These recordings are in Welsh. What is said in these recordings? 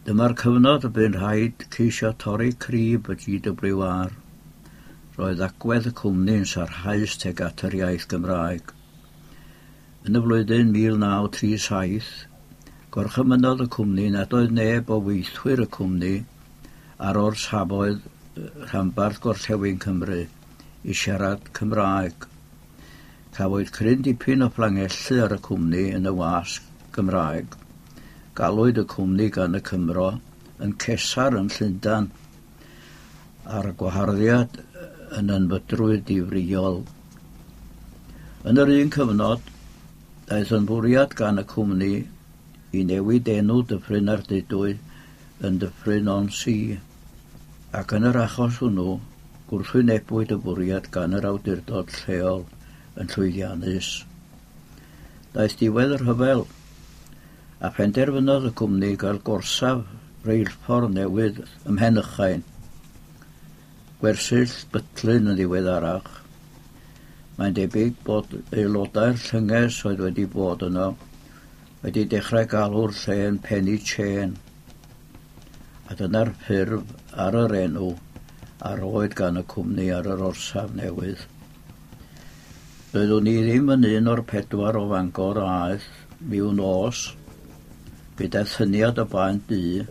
Dyma'r cyfnod y bu'n rhaid ceisio torri crib y GWR. Roedd agwedd y cwmni yn sarhaus tuag at yr iaith Gymraeg. Yn y flwyddyn 1937, gorchymynodd y cwmni nad oedd neb o weithwyr y cwmni ar orsafoedd rhanbarth Gorllewin Cymru i siarad Cymraeg. Cafwyd cryn dipyn o fflangellu ar y cwmni yn y wasg Gymraeg. Galwyd y cwmni gan y Cymro yn Cesar yn Llundain, a'r gwaharddiad yn ynfydrwydd difrïol. Yn yr un cyfnod, daeth yn fwriad gan y cwmni i newid enw Dyffryn Ardudwy yn Dyffryn on Sea, ac yn yr achos hwnnw, gwrthwynebwyd y bwriad gan yr awdurdod lleol yn llwyddiannus. Daeth diwedd y rhyfel, a phenderfynodd y cwmni gael gorsaf reilffordd newydd ym Mhenychain, gwersyll Butlin yn ddiweddarach. Mae'n debyg bod aelodau'r llynges oedd wedi bod yno wedi dechrau galw'r lle yn Penny Chain, a dyna'r ffurf ar yr enw a roed gan y cwmni ar yr orsaf newydd. Doeddwn i ddim yn un o'r pedwar o Fangor a aeth miwn nos gyda thyniad o baent du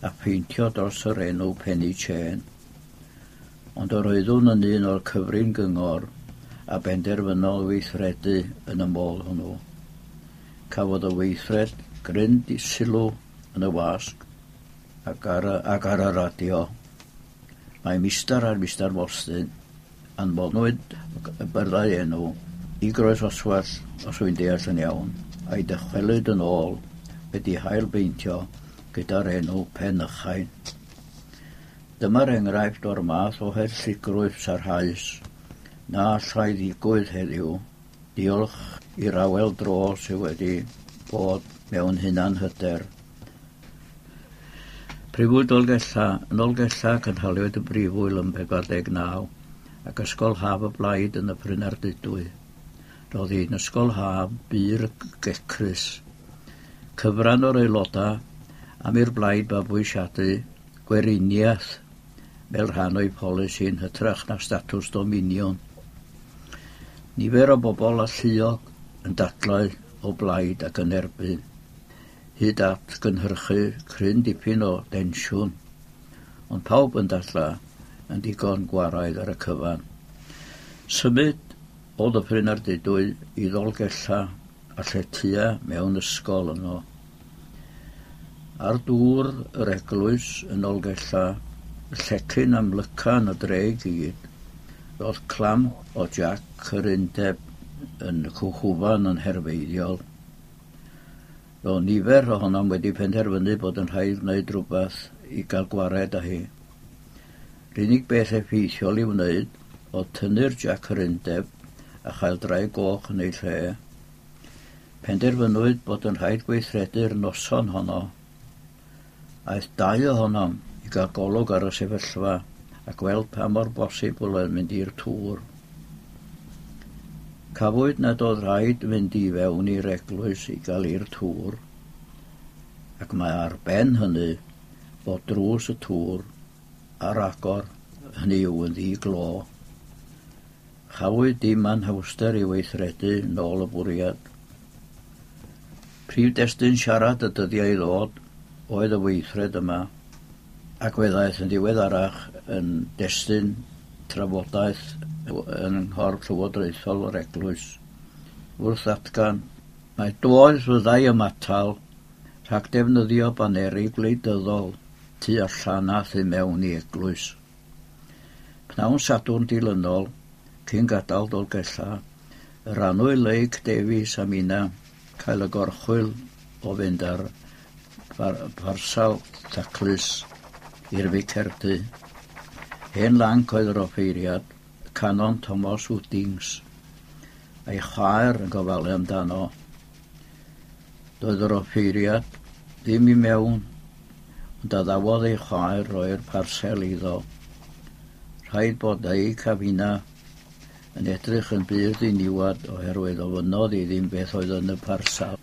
a pheintio dros yr enw Penny Chain. Ond yr oeddwn yn un o'r cyfrin gyngor a benderfynol weithredu yn y modd hwnnw. Cafodd y weithred gryn sylw yn y wasg ac ar y, ac ar y radio. Mae Mistar a'r Mistar Mostyn anfonwyd y byrddau enw i Groes Oswallt, os wy'n deall yn iawn, a'i dychwelyd yn ôl wedi hailbeintio gyda'r enw Penychain. Dyma'r enghraifft o'r math o hellygrwydd sarhaus na allai ddigwydd heddiw, diolch i'r awel dro sydd wedi bod mewn hunanhyder. Prifwyl Dolgellau. Yn Nolgellau cynhaliwyd y brifwyl yn 49 ac ysgol haf y Blaid yn Nyffryn Ardudwy. Roedd hi'n ysgol haf bur gecrus. Cyfran o'r aelodau am i'r Blaid fabwysiadu gweriniaeth fel rhan o'i pholisi yn hytrach na statws dominiwn. Nifer o bobl alluog yn dadlau o blaid ac yn erbyn, hyd at gynhyrchu cryn dipyn o densiwn, ond pawb yn dadlau yn digon gwaraidd ar y cyfan. Symud o Ddyffryn Ardudwy i Ddolgellau a lletya mewn ysgol yno. Ar dŵr yr eglwys yn Nolgellau, y llecyn amlyca yn y dre i gyd, roedd clamp o Jac yr Undeb yn cwchwfan yn herfeiddiol. Roedd nifer ohonom wedi penderfynu bod yn rhaid gwneud rhywbeth i gael gwared â hi. Yr unig beth effeithiol i'w wneud oedd tynnu'r Jac yr Undeb a chael draig goch yn ei lle. Penderfynwyd bod yn rhaid gweithredu'r noson honno. Aeth dau ohonom i gael golwg ar y sefyllfa a gweld pa mor bosibl oedd mynd i'r tŵr. Cafwyd nad oedd rhaid mynd i fewn i'r eglwys i gael i'r tŵr, ac mae ar ben hynny bod drws y tŵr ar agor, hynny yw yn ddi-glo. Chafwyd dim anhawster i weithredu nôl y bwriad. Prif destun siarad y dyddiau i ddod oedd y weithred yma, ac fe ddaeth yn ddiweddarach yn destun trafodaeth yn nghorff llywodraethol yr eglwys. Wrth ddatgan, mae doedd fyddai ymatal rhag defnyddio baneri gwleidyddol tu allan a thu mewn i eglwys. Pnawn Sadwrn dilynol, cyn gadael Dolgellau, yr annwyl Leic Davies a minna cael y gorchwyl o fynd ar parsal taclus i'r Ficerdy. Hen lanc oedd yr offeiriad, Canon Thomas Woodings, a'i chwaer yn gofalu amdano. Doedd yr offeiriad ddim i mewn, ond addawodd ei chwaer roi'r parsel iddo. Rhaid bod ei a finna yn edrych yn bur ddiniwad oherwydd ofynnodd i ddim beth oedd yn y parsel.